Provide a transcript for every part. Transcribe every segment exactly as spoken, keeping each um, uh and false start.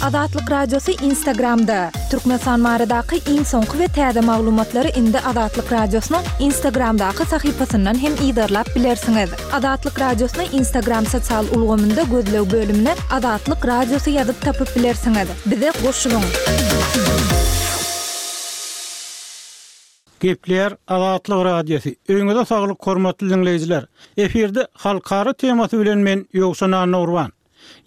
Azatlyk Radiosy Instagramda! Türkmenistan baradaky iň soňky we täze maglumatlary indi Azatlyk Radiosynyň Instagramdaky sahypasyndan hem yzarlap bilersiňiz. Azatlyk Radiosyny Instagram sosial ulgamynda gözleg bölümine Azatlyk Radiosy ýazyp tapyp bilersiňiz. Bize goşulyň! Gepleýär Azatlyk Radiosy. Öýüňize saglyk hormatly diňleýjiler. Efirde halkara temasy bilen men Ýowşan Annagurban.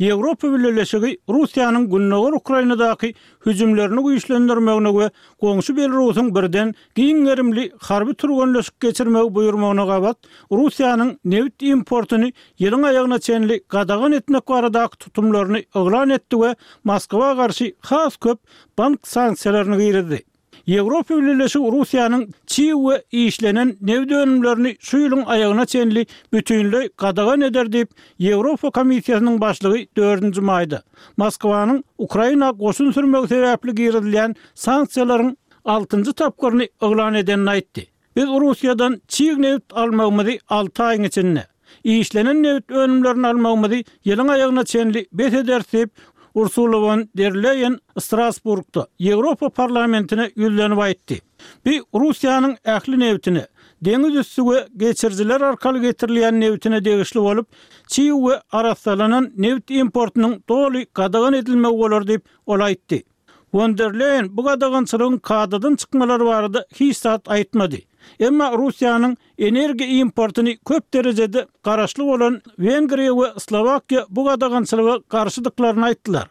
Ýewropa Bileleşigi Russiýanyň Gündogar Ukrainadaky hüjümlerini güýçlendirmegine we goňşy Belarusyň birden giň gerimli harby türgenleşik geçirmegi buýurmagyna gabat Russiýanyň nebit importyny ýylyň aýagyna çenli gadagan etmek baradaky tutumlaryny yglan etdi we Moskwa garşy has köp bank sanksiýalaryny girizdi. Ýewropa Bileleşigi Russiýanyň çig we işlenen nebit önümlerini şu ýylyň aýagyna çenli bütinleý gadagan eder diýip, Ýewropa Komissiýasynyň başlygy dördünji maýda, Moskwanyň Ukraina goşun sürmegi sebäpli girizilýän sanksiýalaryň altynjy tapgyryny yglan edenini aýtdy. Biz Russiýadan çig nebit almagymyzy alty aýyň içinde, işlenen nebit önümlerini almagymyzy ýylyň aýagyna çenli bes ederis diýip, Ursula won der Leýen Strasburgda Ýewropa Parlamentine ýüzlenip aýtdy. Bu Russiýanyň ähli nebitine, deňiz üsti we geçirijiler arkaly getirilýän nebitine degişli bolup, çig we arassalanan nebit importynyň doly gadagan edilmegi bolar diýip, ol aýtdy. Won der Leýen bu gadagançylygyň kadadan çykmalary barada hiç zat aýtmady. Emma Russiýanyň energiýa importyny köp derejede garaşly bolan Wengriýa we Slowakiýa bu gadagançylyga garşydyklaryny aýtdylar.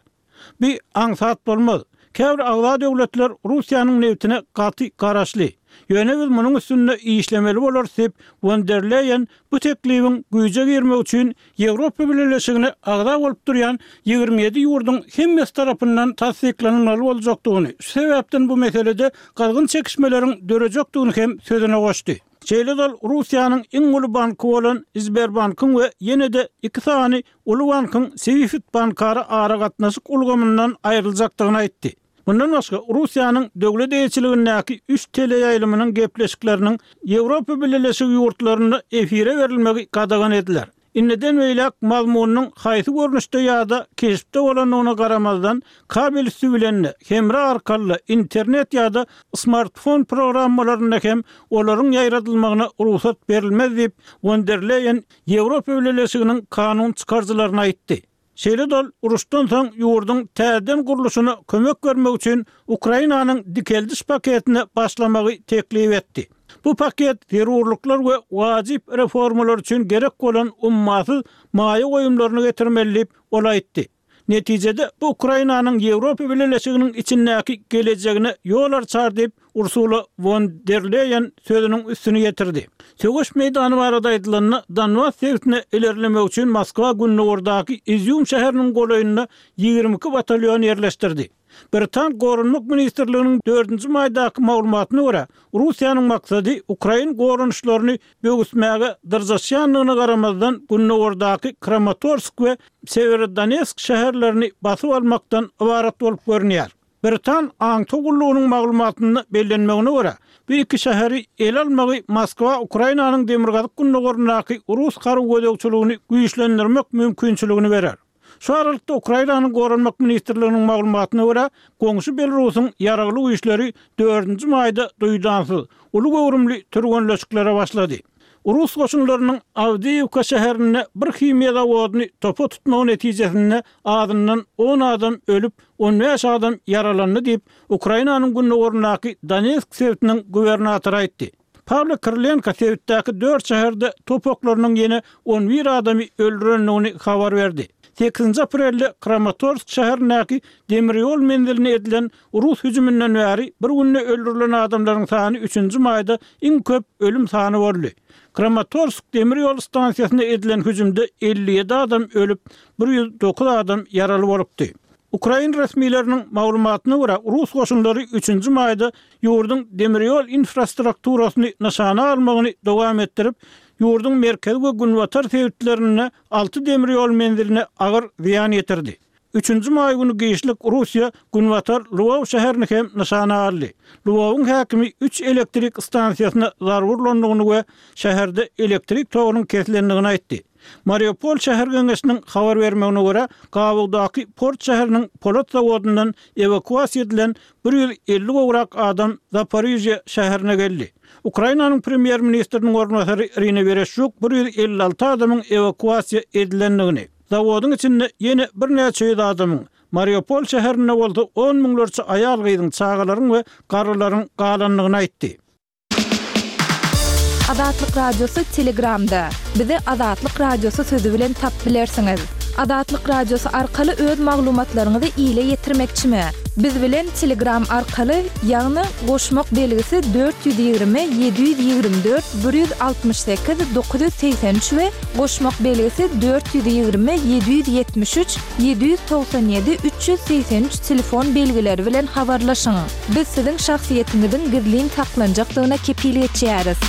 Bu aňsat bolmaz. Käbir agza döwletler Russiýanyň nebitine gaty garaşly. Ýöne biz munuň üstünde işlemeli bolarys diýip, Won der Leýen bu teklibiň güýje girmegi üçin Ýewropa Bileleşigine agza bolup durýan ýigrimi ýedi ýurduň hemmesi tarapyndan tassyklanylmaly boljakdygyny, şu sebäpden bu meselede gyzgyn çekişmeleriň dörejekdigini hem sözüne goşdy. Şeýle-de ol Russiýanyň iň uly banky bolan Sberbankyň we ýene-de iki sany uly bankyň SWIFT bankara aragatnaşyk ulgamyndan aýryljakdygyny aýtdy. Mundan başga, Russiýanyň döwlet eýeçiligindäki üç teleýaýlymynyň gepleşikleriniň Ýewropa Bileleşigi ýurtlarynda efire berilmegi gadagan ediler. Indiden beýläk mazmunynyň haýsy görnüşde ýa-da keşpde bolandygyna garamazdan, kabel üsti bilen-de, hemra arkaly-da, internet ýa-da smartfon programmalarynda hem olaryň ýaýradylmagyna rugsat berilmez diýip, won der Leýen Ýewropa Bileleşiginiň kanun çykaryjylaryna aýtdy. Şeýle-de ol uruşdan soň ýurduň täzeden gurluşyna kömek bermek üçin Ukrainanyň dikeldiş paketine başlamagy teklip etdi. Bu paket zerurlyklar we wajyp reformalar üçin gerek bolan ummasyz maýa goýumlaryny getirmeli diýip, ol aýtdy. Netijede, bu Ukrainanyň Ýewropa Bileleşiginiň içindäki gelejegine ýol arçar diýip, Ursula won der Leýen sözüniň üstüni ýetirdi. Söweş meýdany barada aýdylanda, Donbas sebitine ilerlemek üçin Moskwa gündogardaky Izýum şäheriniň golaýynda ýigrimi iki batalýon ýerleşdirdi. Britan Goranmak ministrliginiň dördünji maýdaky maglumatyna görä, Russiýanyň maksady ukrain goranyşlaryny böwüsmäge dyrjaşýandygyna garamazdan, gündogardaky Kramatorsk we Sewerodonetsk şäherlerini basyp almakdan ybarat bolup görünýär. Britan aňtaw gullugynyň maglumatynda bellenmegine görä, bu iki şäheri ele almagy Moskwa Ukrainanyň demirgazyk-gündogaryndaky rus harby gözegçiligini güýçlendirmek mümkinçiligini berer. Şu aralykda, Ukrainanyň Goranmak ministrliginiň maglumatyna görä, goňşy Belarusyň ýaragly güýçleri dördünji maýda duýdansyz, uly göwrümli türgenleşiklere başlady. Rus goşunlarynyň Awdiýiwka şäherinde bir himiýa zawodyny topa tutmagy netijesinde azyndan on adam ölüp, on bäş adam ýaralandy diýip, Ukrainanyň gündogaryndaky Donetsk sebitiniň gubernatory aýtdy. Pawlo Krylenko sebitdäki dört şäherde top oklarynyň ýene on bir adamy öldürendigini habar berdi. Sekizinji aprelde Kramatorsk şäherindäki demir ýol menziline edilen rus hüjüminden bäri bir günde öldürilen adamlaryň sany üçünji maýda iň köp ölüm sany boldy. Kramatorsk demir ýol stansiýasyna edilen hüjümde elli ýedi adam ölüp, bir ýüz dokuz adam ýaraly bolupdy. Ukrain resmileriniň maglumatyna görä, rus goşunlary üçünji maýda ýurduň demir ýol infrastrukturasyny nyşana almagyny dowam etdirip, ýurduň merkezi we günbatar sebitlerinde alty demir ýol menziline agyr zyýan ýetirdi. Üçünji maý güni giçlik Russiýa günbatar Lwow şäherini hem nyşana aldy. Lwowyň häkimi üç elektrik stansiýasyna zarba urlandygyny we şäherde elektrik togunyň kesilendigini aýtdy. Mariupol şäher geňeşiniň habar bermegine görä, gabawdaky port şäheriniň polat zawodyndan ewakuasiýa edilen bir ýüz elli gowrak adam Zaporižýa şäherine geldi. Ukrainanyň premýer-ministriniň orunbasary Irina Wereşçuk bir ýüz elli alty adamyň ewakuasiýa edilendigini, zawodyň içinde ýene birnäçe ýüz adamyň, Mariupol şäherinde bolsa on müňlerçe aýal-gyzyň, çagalaryň we garrylaryň galandygyny aýtdy. Azatlyk Radiosy Telegramda. Bizi Azatlyk Radiosy sözi bilen tapyp bilersiňiz. Azatlyk Radiosy arkaly öz maglumatlaryňyzy ile ýetirmekçimi? Biz bilen Telegram arkaly, ýagny goşmak belgisi dört ýüz ýigrimi, ýedi ýüz ýigrimi dört, bir ýüz altmyş sekiz, dokuz ýüz segsen üç we goşmak belgisi dört ýüz ýigrimi, ýedi ýüz ýetmiş üç, ýedi ýüz togsan ýedi, üç ýüz segsen üç telefon belgileri bilen habarlaşyň. Biz siziň şahsyýetiňiziň gizlin saklanjakdygyna kepil geçýäris.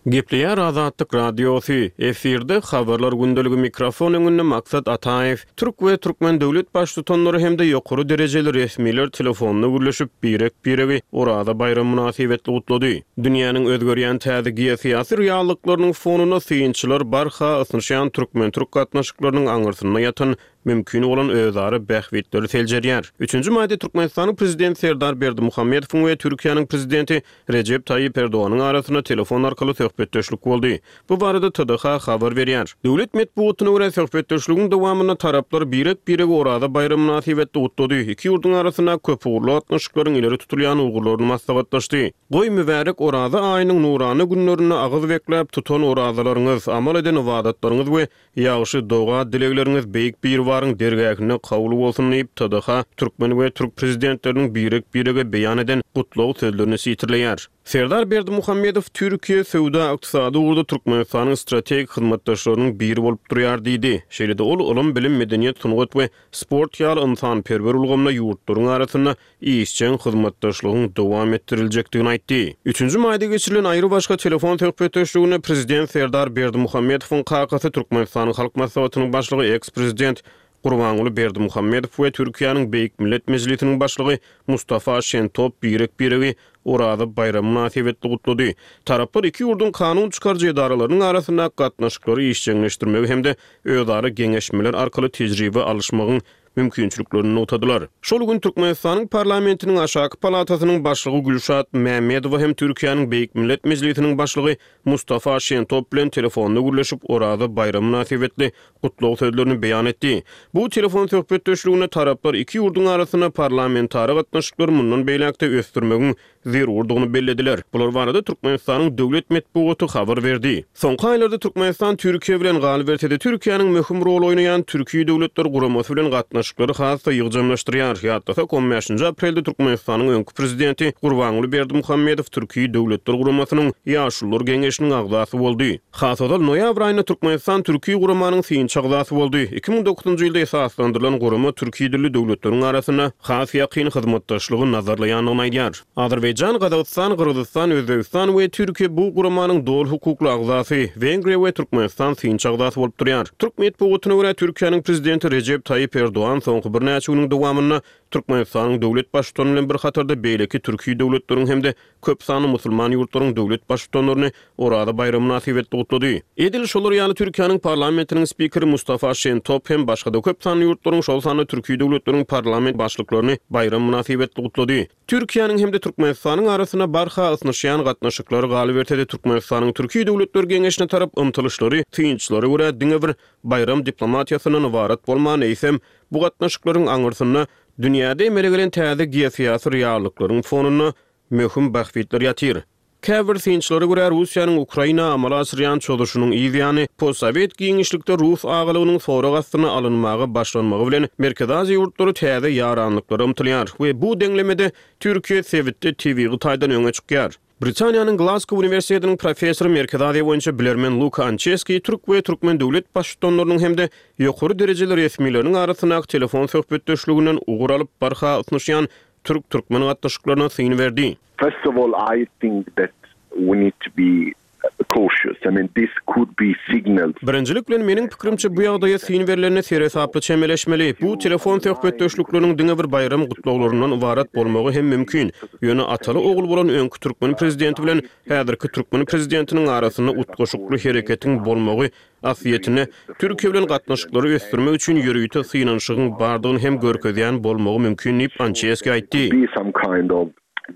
Gepleýär Azatlyk Radiosy, efirde Habarlar gündeligi, mikrofon öňünde Maksat Ataýew. Türk we türkmen döwlet baştutanlary hem-de ýokary derejeli resmiler telefonda gürleşip, birek-biregi Oraza baýramy mynasybetli gutlady. Dünýäniň özgerýän täze geosyýasy reallyklarynyň fonunda synçylar barha ysnyşýan türkmen-türk gatnaşyklarynyň aňyrsynda ýatan mümkin bolan özara bähbitleri seljerýär. Üçünji maýda Türkmenistanyň Prezidenti Serdar Berdimuhamedowyň we Türkiýäniň Prezidenti Rejep Taýyp Erdoganyň arasynda telefon arkaly söhbetdeşlik boldy. Bu barada T D H habar berýär. Döwlet metbugatyna görä söhbetdeşligiň dowamynda taraplar birek-biregi Oraza baýramy mynasybetli gutlady. Iki ýurduň arasynda köpugurly gatnaşyklaryň ileri tutulýan ugurlaryny maslahatlaşdy. Goý mübärek Oraza aýynyň nurana günlerinde agyz bekläp tutan orazalaryňyz, amal eden ybadatlaryňyz we ýagşy doga dilegleriňiz beýik Biribaryň dergähinde kabul bolsun diýip T D H türkmen we türk prezidentleriniň birek-birege beýan eden gutlag sözlerini sitirleýär. Serdar Berdimuhamedow Türkiýe söwda ykdysady ugurda Türkmenistanyň strategik hyzmatdaşlarynyň biri bolup durýar diýdi. Şeýle-de ol ylym, bilim, medeniýet, sungat we sport ýaly ynsanperwer ulgamda ýurtlaryň arasynda işjeň hyzmatdaşlygyň dowam etdiriljekdigini aýtdy. Üçünji maýda geçirilen aýry başga telefon söhbetdeşliginde Prezident Serdar Berdimuhamedowyň kakasy Türkmenistanyň Halk Maslahatynyň başlygy eks-prezident Gurbanguly Berdimuhamedow we Türkiýäniň Beýik Millet Mejlisiniň başlygy Mustafa Şentop birek-biregi Oraza baýramy mynasybetli gutlady. Taraplar iki ýurduň kanun çykaryjy edaralarynyň arasynda gatnaşyklary işjeňleşdirmegi hem-de özara geňeşmeler arkaly tejribe alyşmagyň mümkinçiliklerini nygtadylar. Şol gün Türkmenistanyň parlamentiniň aşaky palatasynyň başlygy Gülşat Mämmedowa hem Türkiýäniň Beýik Millet Mejlisiniň başlygy Mustafa Şentop bilen telefonda gürleşip Oraza baýramy mynasybetli gutlag sözlerini beýan etdi. Bu telefon söhbetdeşliginde taraplar iki ýurduň arasynda parlamentara gatnaşyklary mundan beýläk-de ösdürmegiň zerurdygyny bellediler. Bular barada Türkmenistanyň döwlet metbugaty habar berdi. Soňky aýlarda Türkmenistan Türkiýe bilen galyberse-de Türkiýäniň möhüm rol oýnaýan Türkiýe Döwletler Guramasy bilen gatnaşyklary has-da ýygjamlaşdyrýar. Ýatlasak, on bäşinji aprelde Türkmenistanyň öňki prezidenti Gurbanguly Berdimuhamedow Türkiýe Döwletler Guramasynyň Ýaşulular Geňeşiniň agzasy boldy. Has ozal noýabr aýynda Türkmenistan Türkiýe Guramanyň synçy agzasy boldy. Iki müň dokuzynjy ýylda esaslandyrylan gurama Türkiýe dilli döwletleriň arasynda has ýakyn hyzmatdaşlygy nazarlaýandygyny aýdýar. Azerbaýjan, Gazagystan, Gyrgyzystan, Özbegistan we Türkiýe bu guramanyň doly hukukly agzasy, Wengriýa we Türkmenistan synçy agzasy bolup durýar. Türk metbugatyna görä Türkiýäniň prezidenti Rejep Taýyp Erdogan soňky birnäçe günüň dowamynda Türkmenistanyň döwlet baştutany bilen bir hatarda beýleki Türkiýe döwletleriň hem-de köp sanly musulman ýurtlaryň döwlet baştutanlaryny Oraza baýramy mynasybetli gutlady. Edil şolar ýaly Türkiýäniň parlamentiniň spikeri Mustafa Şentop hem başga-da köp sanly ýurtlaryň, şol sanda Türkiýe döwletleriň parlament başlyklaryny baýram mynasybetli gutlady. Türkiýäniň hem-de Türkmenistanyň arasynda barha ysnyşýan gatnaşyklary galyberse-de Türkmenistanyň Türkiýe Döwletler Geňeşine tarap ymtylyşlary synçylara görä diňe bir baýram diplomatiýasyndan ybarat bolman, eýsem bu gatnaşyklaryň aňyrsynda dünýäde emele gelen täze geosyýasy reallyklaryň fonunda möhüm bähbitler ýatyr. Käbir synçylara görä Russiýanyň Ukraina amala aşyrýan çozuşynyň yzýany postsowet giňişlikde rus agalygynyň sorag astyna alynmaga başlanmagy bilen Merkezi Aziýa ýurtlary täze ýaranlyklara ymtylýar we bu deňlemede Türkiýe sebitde tebigy taýdan öňe çykýar. Britaniýanyň Glasgow Uniwersitetiniň professory Merkezi Aziýa boýunça bilermen Luka Ançeski türk we türkmen döwlet baştutanlarynyň hem-de ýokary derejeli resmileriniň arasyndaky telefon söhbetdeşliginden ugur alyp barha ysnyşýan türk-türkmen gatnaşyklaryna syn berdi. First of all, I think that we need to be cautious. I mean, this could be signals. Birinjilik bilen, meniň pikirimçe, bu ýagdaýa syn berlende seresaply çemeleşmeli. Bu telefon söhbetdeşlikleriniň diňe bir baýram gutlaglaryndan ybarat bolmagy hem mümkin. Ýöne ataly-ogul bolan öňki türkmen prezidenti bilen häzirki türkmen prezidentiniň arasynda utgaşykly hereketiň bolmagy aslyýetinde Türkiýe bilen gatnaşyklary ösdürmek üçin ýörite synanyşygyň bardygyny hem görkezýän bolmagy mümkin diýip, Ançeski aýtdy. Be some kind of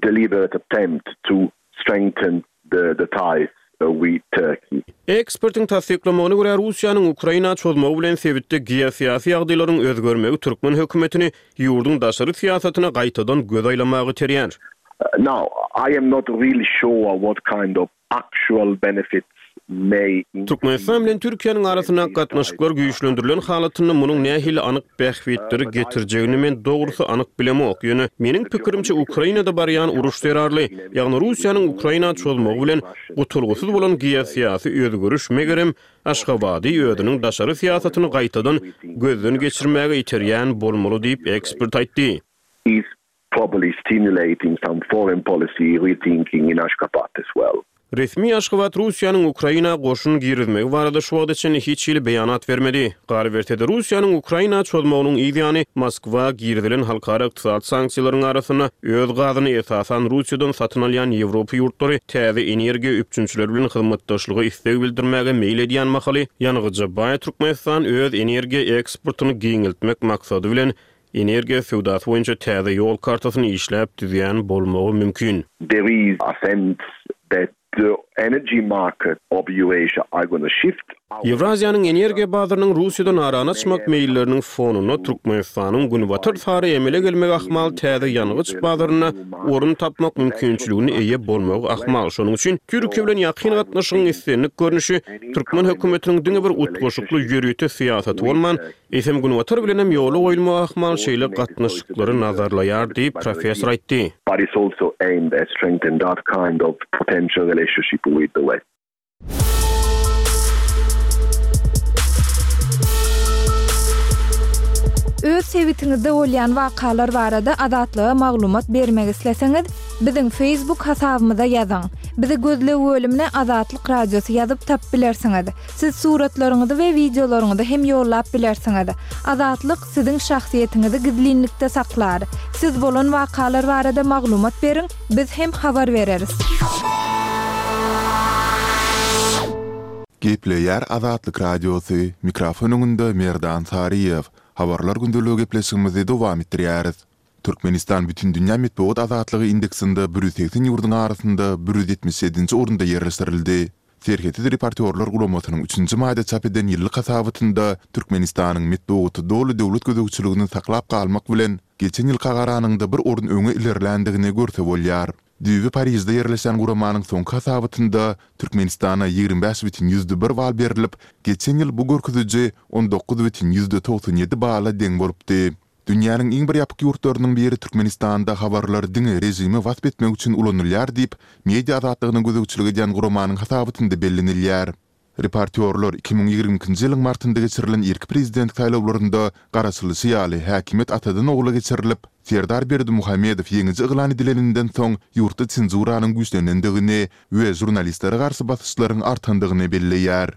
deliberate attempt to strengthen the the ties with Turkey. Ekspertiň tassyklamagyna görä, Russiýanyň Ukraina çozmagy bilen sebitde geosyýasy ýagdaýlaryň özgermegi türkmen hökümetini ýurduň daşary syýasatyna gaýtadan göz aýlamaga iterýär. Now, I am not really sure what kind of actual benefits may. Türkmenistan bilen Türkiýäniň arasyndaky gatnaşyklar güýçlendirilen halatynda munuň nähili anyk bähbitleri getirjegini men dogrusy anyk bilemok. Ýöne, meniň pikirimçe, Ukrainada barýan uruş zerarly, ýagny Russiýanyň Ukraina çozmagy bilen gutulgysyz bolan geosyýasy özgeriş, megerem, Aşgabady özüniň daşary syýasatyny gaýtadan gözden geçirmäge iterýän bolmaly diýip, ekspert aýtdy. Is probably stimulating some foreign policy rethinking in Ashgabat as well. Resmi Aşgabat Russiýanyň Ukraina goşun girizmegi barada şu wagta çenli hiç hili beýanat bermedi. Galyberse-de, Russiýanyň Ukraina çozmagynyň yz ýany Moskwa girizilen halkara ykdysady sanksiýalaryň arasynda öz gazyny esasan Russiýadan satyn alýan Ýewropa ýurtlary täze energiýa üpjünçileri bilen hyzmatdaşlyga isleg bildirmäge meýil edýän mahaly, ýangyja baý Türkmenistan öz energiýa eksportyny giňeltmek maksady bilen energiýa söwdasy boýunça täze ýol kartasyny işläp düzýän bolmagy mümkin. There is a sense that the energy market of Eurasia are gonna shift. Ýewraziýanyň energiýa bazarynyň Russiýadan arany açmak meýilleriniň fonunda Türkmenistanyň Günbatar sary emele gelmegi ahmal täze ýangyç bazarynda orun tapmak mümkinçiligine eýe bolmagy ahmal. Şonuň üçin Türkiýe bilen ýakyn gatnaşygyň islendik görnüşi türkmen hökümetiniň diňe bir utgaşykly ýörite syýasaty bolman, eýsem Günbatar bilenem ýola goýulmagy ahmal şeýle gatnaşyklary nazarlaýar diýip, professor aýtdy. But it's also aimed at strengthen that kind of potential relationship with the West. Öz sebitiňizde bolýan wakalar barada Azatlyga maglumat bermek isleseňiz, biziň Facebook hasabymyza ýazyň. Bizi gözleg bölümine Azatlyk Radiosy ýazyp tapyp bilersiňiz. Siz suratlaryňyzy we wideolaryňyzy hem ýollap bilersiňiz. Azatlyk siziň şahsyýetiňizi gizlinlikde saklar. Siz bolan wakalar barada maglumat beriň, biz hem habar bereris. Gepleýär Azatlyk Radiosy, mikrofon öňünde Merdan Saryýew. Habarlar gündeligi gepleşigimizi dowam etdirýäris. Türkmenistan Bütindünýä metbugat azatlygy indeksinde bir ýüz segsen ýurduň arasynda bir ýüz ýetmiş ýedinji orunda ýerleşdirildi. Serhetsiz reportýorlar guramasynyň üçünji maýda çap eden ýyllyk hasabatynda Türkmenistanyň metbugaty doly döwlet gözegçiligini saklap galmak bilen, geçen ýylka garanyňda bir orun öňe ilerländigini görse bolýar. Düýbi Parižde ýerleşýän guramanyň soňky hasabatynda Türkmenistana ýigrimi bäş bütin ýüzde bir bal berlip, geçen ýyl bu görkeziji on dokuz bütin ýüzde togsan ýedi bala deň bolupdy. Dünýäniň iň bir ýapyk ýurtlarynyň biri Türkmenistanda habarlar diňe režimi wasp etmek üçin ulanylýar diýip, media azatlygyna gözegçilik edýän guramanyň hasabatynda bellenilýär. Reportýorlar iki müň ýigrimi ikinji ýylyň martynda geçirilen irki prezident saýlawlarynda garaşylyşy ýaly häkimiýet atadan ogla geçirilip, Serdar Berdimuhamedow ýeňiji yglan edileninden soň ýurtda senzuranyň güýçlenendigini we žurnalistlere garşy basyşlaryň artandygyny belleýär.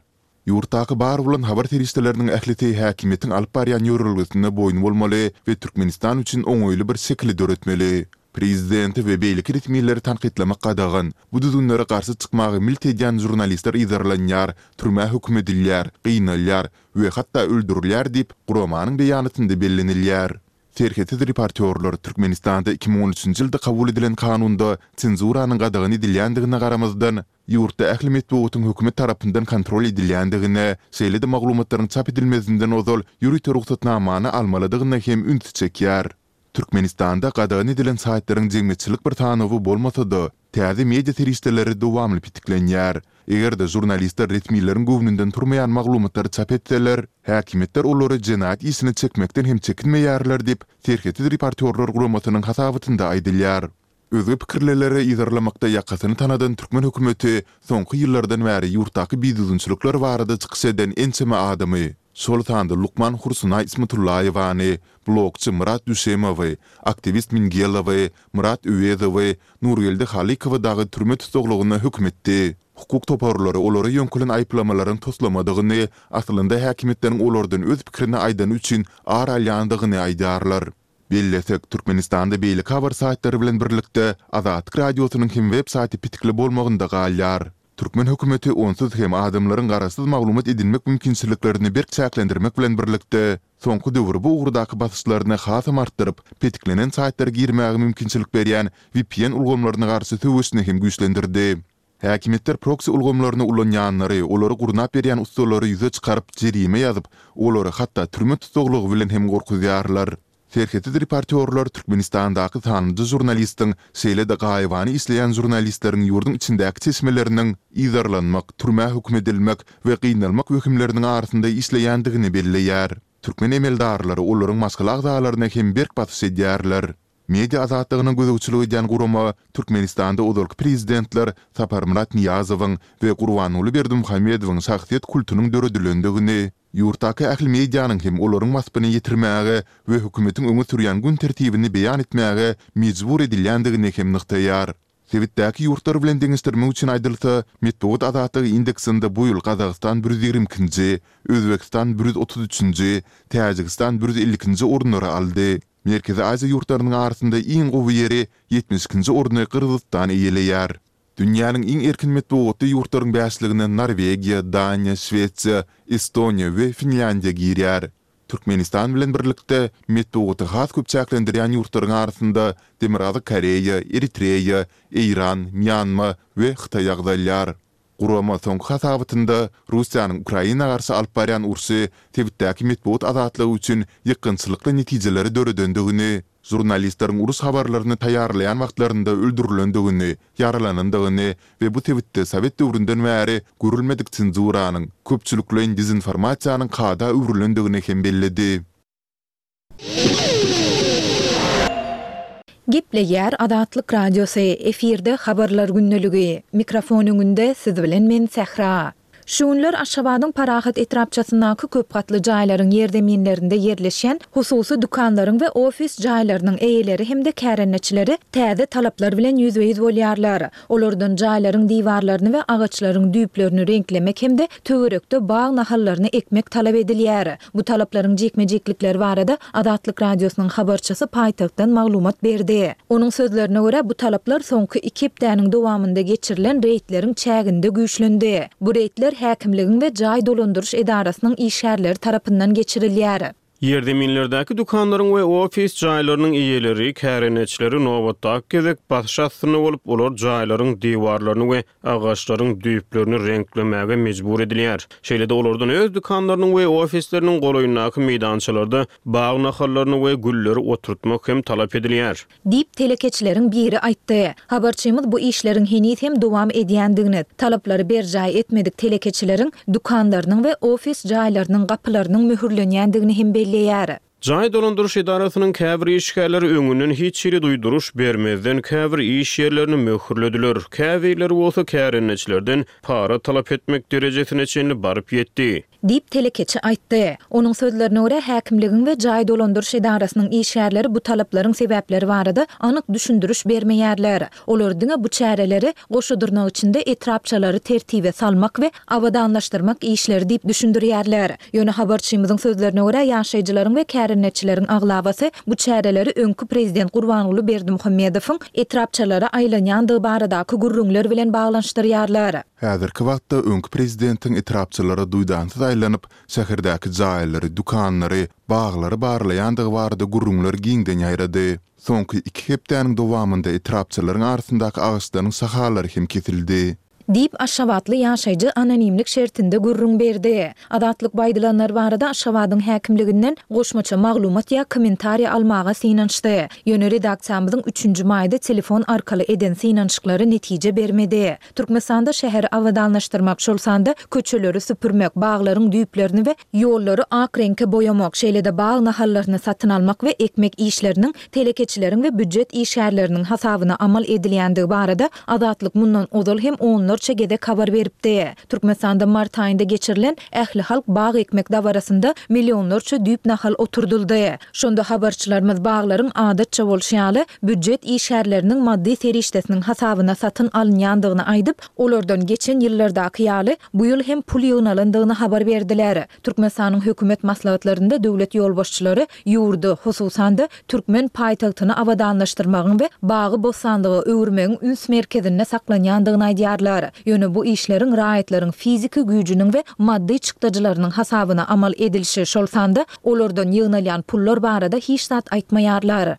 Ýurtdaky bar bolan habar serişdeleriniň ählisi häkimiýetiň alyp barýan ýörelgesine boýun bolmaly we Türkmenistan üçin oňaýly bir şekili döretmeli. Prezidenti we beýleki resmileri tankytlamak gadagan, bu düzgünlere garşy çykmaga milt edýän žurnalistler yzarlanýar, türmä höküm edilýär, gynalýar we hatda öldürilýär diýip, guramanyň beýanatynda bellenilýär. Serhetsiz reportýorlar Türkmenistanda iki müň on üçünji ýylda kabul edilen kanunda senzuranyň gadagan edilýändigine garamazdan, ýurtda ähli metbugatyň hökümet tarapyndan kontrol edilýändigine, şeýle-de maglumatlaryň çap edilmezinden ozal ýörite rugsatnamany almalydygyna hem ünsi çekýär. Türkmenistanda gadagan edilen saýtlaryň jemgyýetçilik bir sanawy bolmasa-da, täze media serişdeleri dowamly petiklenýär. Eger-de žurnalistler resmileriň göwnünden turmaýan maglumatlary çap etseler, häkimiýetler olary jenaýat işine çekmekden hem çekinmeýärler diýip, Serhetsiz reportýorlar guramasynyň hasabatynda aýdylýar. Özge pikirlileri yzarlamakda ýakasyny tanadan türkmen hökümeti soňky ýyllardan bäri ýurtdaky bidüzgünçilikler barada çykyş eden ençeme adamy, şol sanda lukman Hursunaý Ismatullaýewany, blogçy Myrat Düşemowy, aktiwist Mingelowy, Myrat Öwezowy, Nurgeldi Halykowy dagy türme tussaglygyna höküm etdi. Hukuk toparlary olara ýöňkelen aýyplamalaryň toslamadygyny, aslynda häkimiýetleriň olardan öz pikirini aýdany üçin ar alýandygyny aýdýarlar. Bellesek, Türkmenistanda beýleki habar saýtlary bilen birlikde Azatlyk Radiosynyň hem web saýty petikli bolmagynda galýar. Türkmen hökümeti onsuz hem adamlaryň garaşsyz maglumat edinmek mümkinçiliklerini berk çäklendirmek bilen birlikde, soňky döwür bu ugurdaky basyşlaryny hasam artdyryp, petiklenen saýtlara girmäge mümkinçilik berýän V P N ulgamlaryna garşy söweşini hem güýçlendirdi. Häkimiýetler proksi ulgamlaryny ulanýanlary, olary gurnap berýän ussalary ýüze çykaryp, jerime ýazyp, olary hatda türme tussaglygy bilen hem gorkuzýarlar. Serhetsiz reportýorlar Türkmenistandaky sanlyja žurnalistiň, şeýle-de gaýybana işleýän žurnalistleriň ýurduň içindäki çeşmeleriniň yzarlanmak, türmä höküm edilmek we gynalmak wehimleriniň arasynda işleýändigini belleýär. Türkmen emeldarlary olaryň maşgala agzalaryna hem berk basyş edýärler. Media azatlygyna gözegçilik edýän gurama Türkmenistanda ozalky prezidentler Saparmyrat Nyýazowyň we Gurbanguly Berdimuhamedowyň şahsyýet kultunyň döredilendigini, ýurtdaky ähli medianyň hem olaryň waspyny ýetirmäge we hökümetiň öňe sürýän gün tertibini beýan etmäge mejbur edilýändigini hem nygtaýar. Sebitdäki ýurtlar bilen deňeşdirmek üçin aýdylsa, metbugat azatlygy indeksinde bu ýyl Gazagystan bir ýüz ýigrimi ikinji, Özbegistan bir ýüz otuz üçünji, Täjigistan bir ýüz elli ikinji orunlary aldy. Merkezi Aziýa ýurtlarynyň arasynda iň gowy ýeri ýetmiş ikinji orny Gyrgyzystan eýeleýär. Dünýäniň iň erkin metbugatly ýurtlaryň bäşligine Norwegiýa, Daniýa, Şwesiýa, Estoniýa we Finlýandiýa girýär. Türkmenistan bilen birlikde metbugaty has köp çäklendirýän ýurtlaryň arasynda Demirgazyk Koreýa, Eritreýa, Eýran, Mýanma we Hytaý agzalýar. Gurama soňky hasabatynda Russiýanyň Ukraina garşy alyp barýan urşy sebitdäki metbugat azatlygy üçin ýykgynçylykly netijeleri döredendigini, žurnalistleriň uruş habarlaryny taýýarlaýan wagtlarynda öldürilendigini, ýaralanandygyny we bu sebitde sowet döwründen bäri görülmedik senzuranyň, köpçülikleýin dezinformasiýanyň kada öwrülendigini hem belledi. Gepleýär Azatlyk Radiosy, efirde Habarlar gündeligi. Mikrofon öňünde siz bilen men Sähra. Şu günler Aşgabadyň Parahat etrapçasyndaky köp gatly jaýlaryň ýerzeminlerinde ýerleşýän hususy dükanlaryň we ofis jaýlarynyň eýeleri hem-de kärendeçileri täze talaplar bilen ýüzbe-ýüz bolýarlar. Olardan jaýlaryň diwarlaryny we agaçlaryň düýplerini reňklemek hem-de töwerekde bag nahallaryny ekmek talap edilýär. Bu talaplaryň jikme-jiklikleri barada Azatlyk Radiosynyň habarçysy paýtagtdan maglumat berdi. Onuň sözlerine görä, bu talaplar soňky iki hepdäniň dowamynda geçirilen reýdleriň çäginde güýçlendi. Bu reýdler häkimligiň we jaý dolandyryş edarasynyň işgärleri tarapyndan geçirilýär. Ýerzeminlerdäki dükanlaryň we ofis jaýlarynyň eýeleri, kärendeçileri nobatdaky gezek basyş astynda bolup, olar jaýlaryň diwarlaryny we agaçlaryň düýplerini reňklemäge mejbur edilýär. Şeýle-de olardan öz dükanlarynyň we ofisleriniň golaýyndaky meýdançalarda bag nahallaryny we gülleri oturtmak hem talap edilýär. Diýip, telekeçileriň biri aýtdy. Habarçymyz bu işleriň heniz hem dowam edýändigini, talaplary berjaý etmedik telekeçileriň dükanlarynyň we ofis jaýlarynyň gapylarynyň möhürlenýändigini hem belleýär. Jaý dolandyryş edarasynyň käbir işgärleri öňünden hiç hili duýduryş bermezden käbir iş ýerlerini möhürlediler. Käbirleri bolsa kärendeçilerden para talap etmek derejesine çenli baryp ýetdi. Diýip, telekeçi aýtdy. Onuň sözlerine görä, häkimligiň we jaý dolandyryş edarasynyň işgärleri bu talaplaryň sebäpleri barada anyk düşündiriş bermeýärler. Olar diňe bu çäreleri goşa dyrnak içinde etrapçalary tertibe salmak we abadanlaşdyrmak işleri diýip düşündirýärler. Ýöne habarçymyzyň sözlerine görä, ýaşaýjylaryň we kärendeçileriň aglabasy bu çäreleri öňki prezident Gurbanguly Berdimuhamedowyň etrapçalara aýlanýandygy baradaky gürrüňler bilen baglanyşdyrýarlar. Häzirki wagtda öňki prezidentiň etrapçalara duýdansyz aýlanyp, şäherdäki jaýlary, dükanlary, baglary barlaýandygy barada gürrüňler giňden ýaýrady. Soňky iki hepdäniň dowamynda etrapçalaryň arasyndaky agaçlaryň şahalary hem kesildi. Diýip, aşgabatly ýaşaýjy anonimlik şertinde gürrüň berdi. Azatlyk bu aýdylanlar barada Aşgabadyň häkimliginden goşmaça maglumat ýa kommentariý almaga synanyşdy. Ýöne redaksiýamyzyň üçünji maýda telefon arkaly eden synanyşyklary netije bermedi. Türkmenistanda şäheri abadanlaşdyrmak, şol sanda köçeleri süpürmek, baglaryň düýplerini we ýollary ak reňke boýamak, şeýle-de bag nahallaryny satyn almak we ekmek işleriniň telekeçileriň we býujet işgärleriniň hasabyna amal edilýändigi barada Azatlyk mundan ozal hem onlarça onlarça gezek habar beripdi. Türkmenistanda mart aýynda geçirilen ählihalk bag ekmek dabarasynda millionlarça düýp nahal oturdyldy. Şonda habarçylarymyz baglaryň adatça bolşy ýaly, býujet işgärleriniň maddy serişdesiniň hasabyna satyn alynýandygyny aýdyp, olardan geçen ýyllardaky ýaly, bu ýyl hem pul ýygnalandygyny habar berdiler. Türkmenistanyň hökümet maslahatlarynda döwlet ýolbaşçylary ýurdy, hususan-da, türkmen paýtagtyny abadanlaşdyrmagyň we bagy-bossanlyga öwürmegiň üns merkezinde saklanýandygyny aýdýarlar. Ýöne bu işleriň raýatlaryň fiziki güýjüniň we maddy çykdajylarynyň hasabyna amal edilişi, şol sanda olardan ýygnalýan pullar barada hiç zat aýtmaýarlar.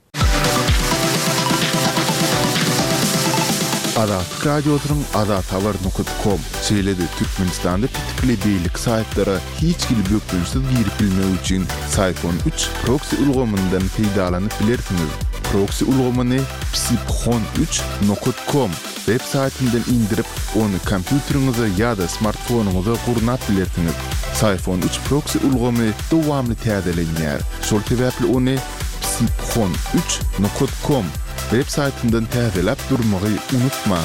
Azatlyk Radiosynyň azathabar nokat kom, şeýle-de Türkmenistanda petikli beýleki saýtlara hiç hili bökdençsiz girip bilmek üçin Syfon üç proksi ulgamyndan peýdalanyp bilersiňiz. Proksi ulgamyny psiphon üç nokat kom web saýtyndan indirip, ony kompýuteriňize ýa-da smartfonyňyza gurnap bilersiňiz. Syfon üç proksi ulgamy dowamly täzelenýär, şol sebäpli ony psiphon üç nokat kom web saýtyndan täzeläp durmagy unutmaň.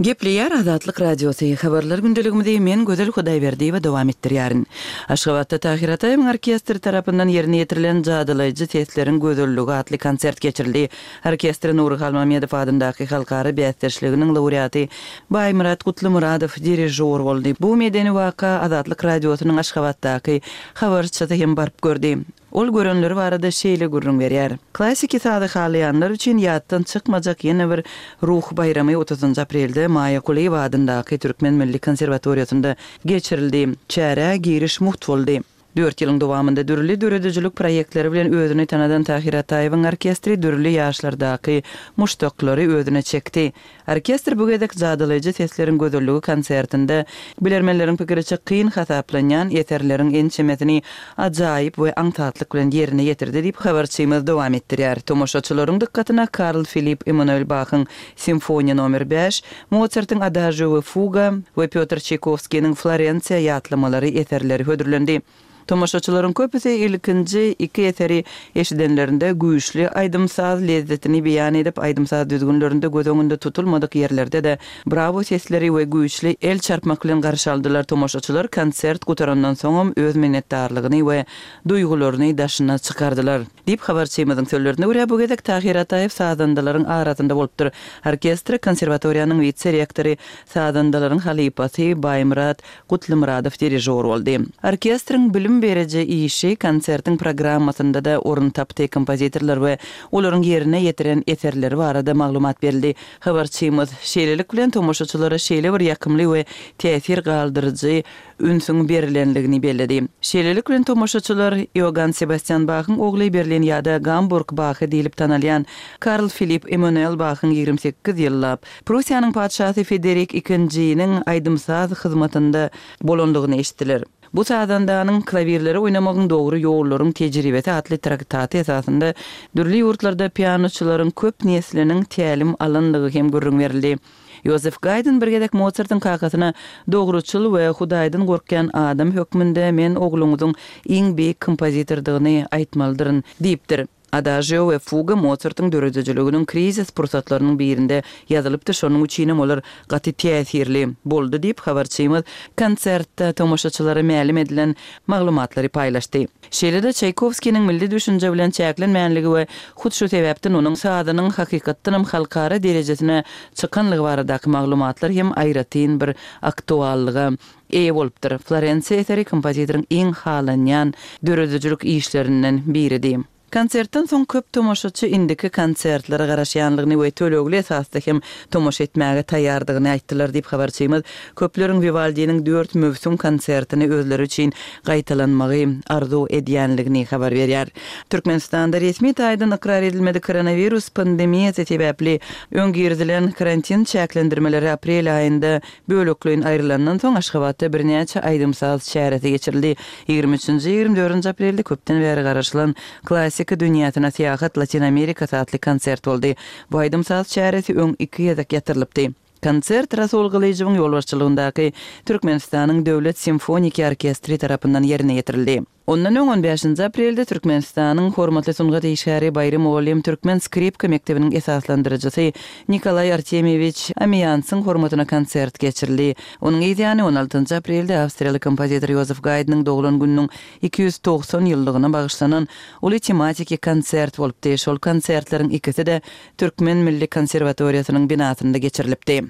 Gepleýär Azatlyk Radiosy, Habarlar gündeligimizi men Gözel Hudaýberdiýewa dowam etdirýärin. Aşgabatda Tahyr Ataýewiň orkestri tarapyndan ýerine ýetirilen Jadylaýjy sesleriň gözelligi atly konsert geçirildi. Orkestre Nury Halmamedow adyndaky halkara bäsdeşliginiň laureaty Baýmyrat Gutlymyradow dirižýor boldy. Bu medeni waka Azatlyk Radiosynyň Aşgabatdaky habarçysy hem baryp gördi. Ol görenleri barada şeýle gürrüň berýär. Klassiki sazy halaýanlar üçin ýatdan çykmajak ýene bir ruh baýramy otuzynjy aprelde Maýa Kulyýewa adyndaky Türkmen milli konserwatoriýasynda geçirildi. Çärä giriş mugt boldy. Dört ýylyň dowamynda dürli döredijilik proýektleri bilen özüni tanadan Tahyr Ataýewiň orkestri dürli ýaşlardaky muşdaklary özüne çekdi. Orkestr bu gezek Jadylaýjy sesleriň gözelligi konsertinde bilermenleriň pikiriçe kyn hasaplanýan eserleriň ençemesini ajaýyp we aňsatlyk bilen ýerine ýetirdi diýip habarçymyz dowam etdirýär. Tomaşaçylaryň dykgatyna Karl Filipp Emanuel Bahyň Simfoniýa nomer bäş, Mosartyň Adažio we Fuga we Pýotr Çaýkowskiniň Florensiýa ýatlamalary eserleri hödürlendi. Tomaşaçylaryň köpüsi ilkinji iki eseri eşidenlerinde güýçli aýdym-saz lezzetini beýan edip, aýdym-saz düzgünlerinde göz öňünde tutulmadyk ýerlerde-de brawo sesleri we güýçli el çarpmak bilen garşy aldylar. Tomaşaçylar konsert gutarandan soňam öz minnetdarlygyny we duýgularyny daşyna çykardylar. Diýip, habarçymyzyň sözlerine görä, bu gezek Tahyr Ataýew sazandalaryň arasynda bolupdyr. Orkestre konserwatoriýanyň wise-rektory, sazandalaryň halypasy Baýmyrat Gutlymyradow dirižýor boldy. Orkestriň bilim beriji işi konsertiň programmasynda-da orun tapdy, kompozitorlar we olaryň ýerine ýetiren eserleri barada maglumat berildi. Habarçymyz, şeýlelik bilen, tomaşaçylara şeýle bir ýakymly we täsir galdyryjy ünsüň berilenligini belledi. Şeýlelik bilen, tomaşaçylar Iogann Sebastýan Bahyň ogly Berlin ýa-da Gamburg Bahy diýlip tanalýan Karl Filipp Emanuel Bahyň ýigrimi sekiz ýyllap Prussiýanyň patyşasy Federik ikinjiniň aýdym-saz hyzmatynda bolandygyny eşitdiler. Bu sazandanyň Klawirleri oýnamagyň dogry ýollaryň tejribesi atly traktaty esasynda dürli ýurtlarda pianoçylaryň köp nesliniň tälim alandygy hem gürrüň berildi. Ýozef Gaýdn bir gezek Mosartyň kakasyna Dogruçyl we Hudaýdan gorkýan adam hökmünde men ogluňyzyň iň beýik kompozitordygyny aýtmalydyryn diýipdir. Adažio we fuga Mosartyň döredijiliginiň krizis pursatlarynyň birinde ýazylypdy, şonuň üçinem olar gaty täsirli boldy diýip, habarçymyz konsertde tomaşaçylara mälim edilen maglumatlary paýlaşdy. Şeýle-de Çaýkowskiniň milli düşünje bilen çäklenmänligi we hut şu sebäpden onuň sazynyň hakykatdanam halkara derejesine çykanlygy baradaky maglumatlar hem aýratyn bir aktuallyga eýe bolupdyr. Florensiýa eseri kompozitoryň iň halanýan döredijilik işlerinden biridi. Konsertden soň köp tomaşaçy indiki konsertlere garaşýanlygyny we tölegli esasda hem tomaşa etmäge taýýardygyny aýtdylar diýip, habarçymyz köpleriň Wiwaldiniň dört möwsüm konsertini özleri üçin gaýtalanmagy arzuw edýänligini habar berýär. Türkmenistanda resmi taýdan ykrar edilmedik koronawirus pandemiýasy sebäpli öň girizilen karantin çäklendirmeleri aprel aýynda bölekleýin aýrylandan soň Aşgabatda birnäçe aýdym-saz çäresi geçirildi. Ýigrimi üçünji, ýigrimi dördünji aprelde köpden bäri garaşylan Klassika dünýäsine syýahat Latyn Amerikasy atly konsert boldy. Bu aýdym-saz çäresi öň iki gezek ýatyrylypdy. Konsert Rasul Gylyjowyň ýolbaşçylygyndaky Türkmenistanyň Döwlet simfoniki orkestri tarapyndan ýerine ýetirildi. Ondan öň on bäşinji aprelde Türkmenistanyň hormatly sungat işgäri Baýry mugallym türkmen skripka mekdebiniň esaslandyryjysy Nikolaý Artemýewiç Amiýansyň hormatyna konsert geçirildi. Onuň yz ýany on altynjy aprelde awstriýaly kompozitor Ýozef Gaýdnyň doglan gününiň iki ýüz togsan ýyllygyna bagyşlanan uly tematiki konsert bolupdy. Şol konsertleriň ikisi-de Türkmen milli konserwatoriýasynyň binasynda geçirilipdi.